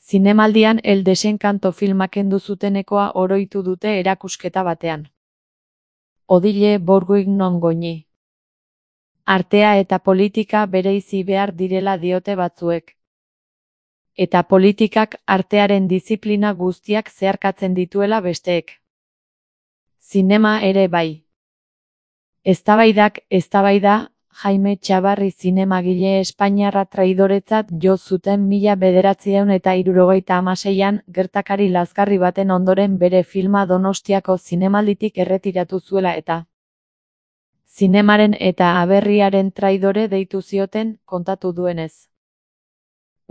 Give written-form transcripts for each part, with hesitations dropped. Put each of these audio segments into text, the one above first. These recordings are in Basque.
Zinemaldian El Desencanto filma kendu zutenekoa oroitu dute erakusketa batean. Odile Bourguignon goñi. Artea eta politika bereizi behar direla diote batzuek. Eta politikak artearen diziplina guztiak zeharkatzen dituela besteek. Zinema ere bai. Eztabaida, Jaime Txabarri zinemagile espainiarra traidoretzat jo zuten 1976an gertakari lazgarri baten ondoren bere filma Donostiako zinemalditik erretiratu zuela eta zinemaren eta aberriaren traidore deitu zioten, kontatu duenez.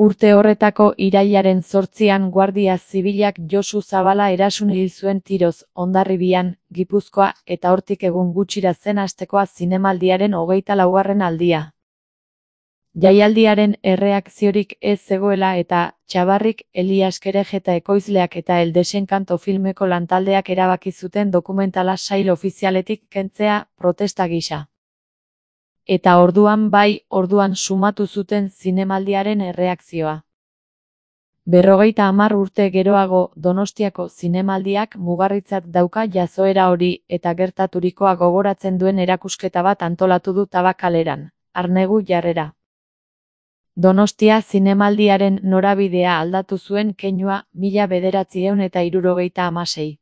Urte horretako irailaren 8an Guardia Zibilak Josu Zabala erasun hil zuen tiroz, Hondarribian, Gipuzkoa, eta hortik egun gutxira zen hastekoa zinemaldiaren 24. aldia. Jaialdiaren erreakziorik ez zegoela eta Txabarrik, Elias Kerejeta ekoizleak eta El Desencanto filmeko lantaldeak erabaki zuten dokumentala sail ofizialetik kentzea, protesta gisa. Eta orduan sumatu zuten zinemaldiaren erreakzioa. 50 urte geroago, Donostiako zinemaldiak mugarritzat dauka jazoera hori eta gertaturikoa gogoratzen duen erakusketa bat antolatu du Tabakaleran, Arnegu jarrera. Donostia zinemaldiaren norabidea aldatu zuen keinua 1976.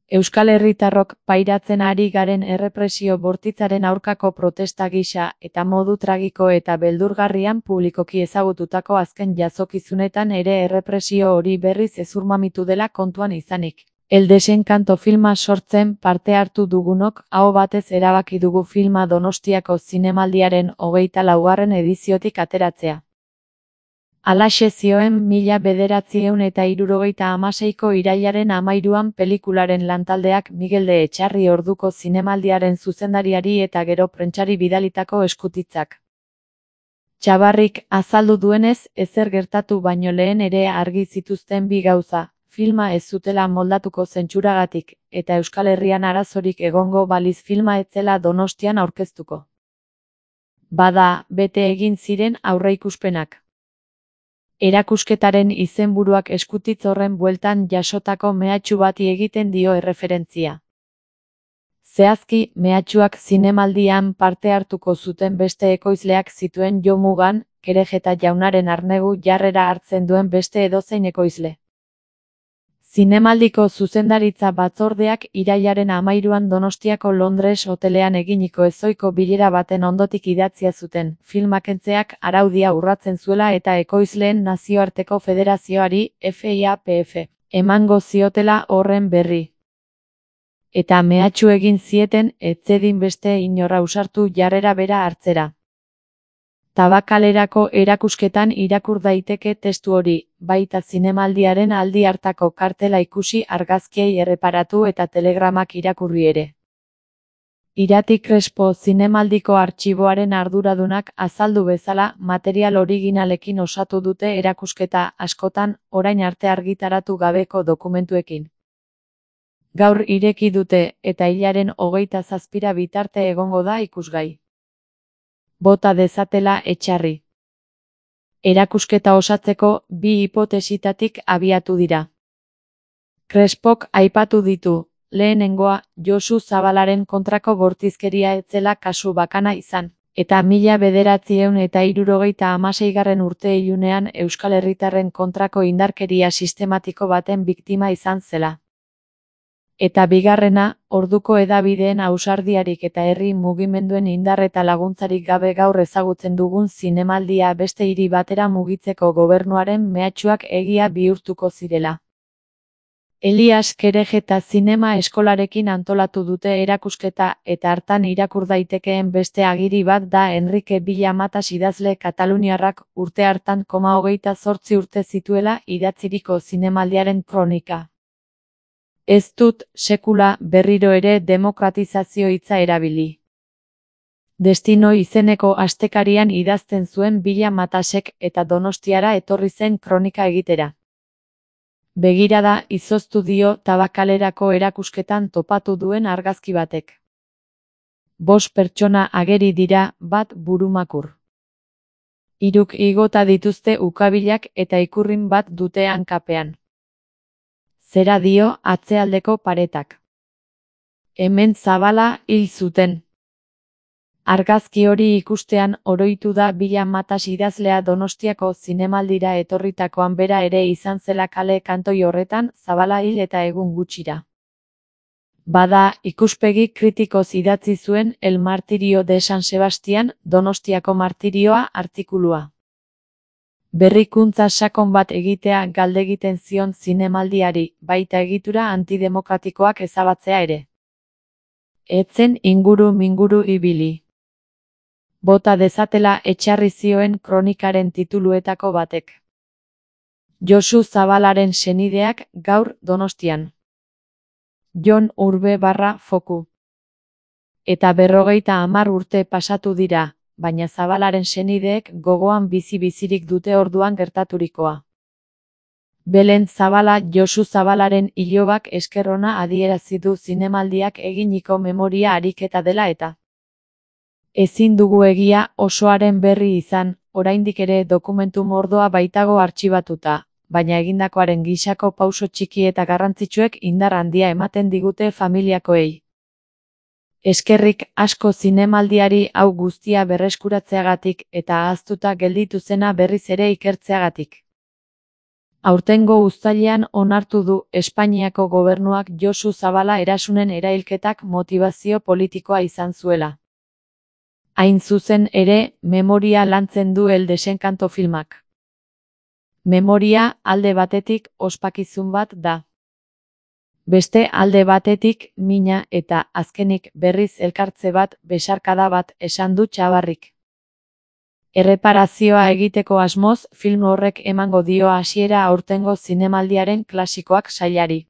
Euskal Herritarrok pairatzen ari garen errepresio bortitzaren aurkako protesta gisa eta modu tragiko eta beldurgarrian publikoki ezagututako azken jazokizunetan ere errepresio hori berriz hezurmamitu dela kontuan izanik. El Desencanto filma sortzen parte hartu dugunok aho batez erabaki dugu filma Donostiako zinemaldiaren 24. ediziotik ateratzea. Halaxe zioen 1976ko irailaren 13an pelikularen lantaldeak Miguel de Etxarri orduko zinemaldiaren zuzendariari eta gero prentsari bidalitako eskutitzak. Txabarrik azaldu duenez, ezer gertatu baino lehen ere argi zituzten bi gauza, filma ez zutela moldatuko zentsuragatik, eta Euskal Herrian arazorik egongo baliz filma ez zela Donostian aurkeztuko. Bada, bete egin ziren aurreikuspenak. Erakusketaren izenburuak eskutitz horren bueltan jasotako mehatxu bati egiten dio erreferentzia. Zehazki, mehatxuak zinemaldian parte hartuko zuten beste ekoizleak zituen jo mugan, Kerejeta jaunaren Arnegu jarrera hartzen duen beste edozein ekoizle. Zinemaldiko zuzendaritza batzordeak irailaren 13an Donostiako Londres hotelean eginiko ezohiko bilera baten ondotik idatzia zuten, filmakentzeak araudia urratzen zuela eta ekoizleen nazioarteko federazioari, FIAPF, emango ziotela horren berri. Eta mehatxu egin zieten, ez zedin beste inor ausartu jarrera bera hartzera. Tabakalerako erakusketan irakur daiteke testu hori, baita zinemaldiaren aldi hartako kartela ikusi, argazkiei erreparatu eta telegramak irakurri ere. Irati Crespo zinemaldiko artxiboaren arduradunak azaldu bezala, material originalekin osatu dute erakusketa askotan, orain arte argitaratu gabeko dokumentuekin. Gaur ireki dute, eta hilaren 27 bitarte egongo da ikusgai. Bota dezatela Etxarri. Erakusketa osatzeko, bi hipotesitatik abiatu dira. Crespok aipatu ditu, lehenengoa, Josu Zabalaren kontrako bortizkeria ez zela kasu bakana izan, eta 1976 urte-ilunean Euskal Herritarren kontrako indarkeria sistematiko baten biktima izan zela. Eta bigarrena, orduko hedabideen ausardiarik eta herri mugimenduen indar eta laguntzarik gabe gaur ezagutzen dugun zinemaldia beste hiri batera mugitzeko gobernuaren mehatxuak egia bihurtuko zirela. Elias Kerejeta zinema eskolarekin antolatu dute erakusketa eta hartan irakur daitekeen beste agiri bat da Enrique Villamatas idazle kataluniarrak urte hartan 28 urte zituela idatziriko zinemaldiaren kronika. Ez dut, sekula, berriro ere demokratizazio hitza erabili. Destino izeneko astekarian idazten zuen Villamatasek eta Donostiara etorri zen kronika egitera. Begirada izoztu dio Tabakalerako erakusketan topatu duen argazki batek. 5 pertsona ageri dira, bat burumakur. Hiruk igota dituzte ukabilak eta ikurrin bat dute hankapean. Zera dio atzealdeko paretak. Hemen Zabala hil zuten. Argazki hori ikustean oroitu da Bila Matas idazlea Donostiako zinemaldira etorritakoan bera ere izan zela kale kantoi horretan Zabala hil eta egun gutxira. Bada, ikuspegi kritikoz idatzi zuen El martirio de San Sebastian, Donostiako martirioa artikulua. Berrikuntza sakon bat egitea galdegiten zion zinemaldiari, baita egitura antidemokratikoak ezabatzea ere. Etzen inguru-minguru ibili. Bota dezatela etxarri zioen kronikaren tituluetako batek. Josu Zabalaren senideak gaur Donostian. Jon Urbe/Foku. Eta 50 urte pasatu dira, baina Zabalaren senideek gogoan bizi-bizirik dute orduan gertaturikoa. Belen Zabala Josu Zabalaren ilobak esker ona adierazi du zinemaldiak eginiko memoria ariketa dela eta. Ezin dugu egia osoaren berri izan, oraindik ere dokumentu mordoa baitago artxibatuta, baina egindakoaren gisako pauso txiki eta garrantzitsuek indar handia ematen digute familiakoei. Eskerrik asko zinemaldiari hau guztia berreskuratzeagatik eta ahaztuta gelditu zena berriz ere ikertzeagatik. Aurtengo uztailean onartu du Espainiako gobernuak Josu Zabala erasunen erailketak motibazio politikoa izan zuela. Hain zuzen ere, memoria lantzen du El desenkanto filmak. Memoria, alde batetik, ospakizun bat da. Beste alde batetik, mina eta, azkenik, berriz elkartze bat, besarkada bat, esan du Txabarrik. Erreparazioa egiteko asmoz, film horrek emango dio hasiera aurtengo zinemaldiaren klasikoak sailari.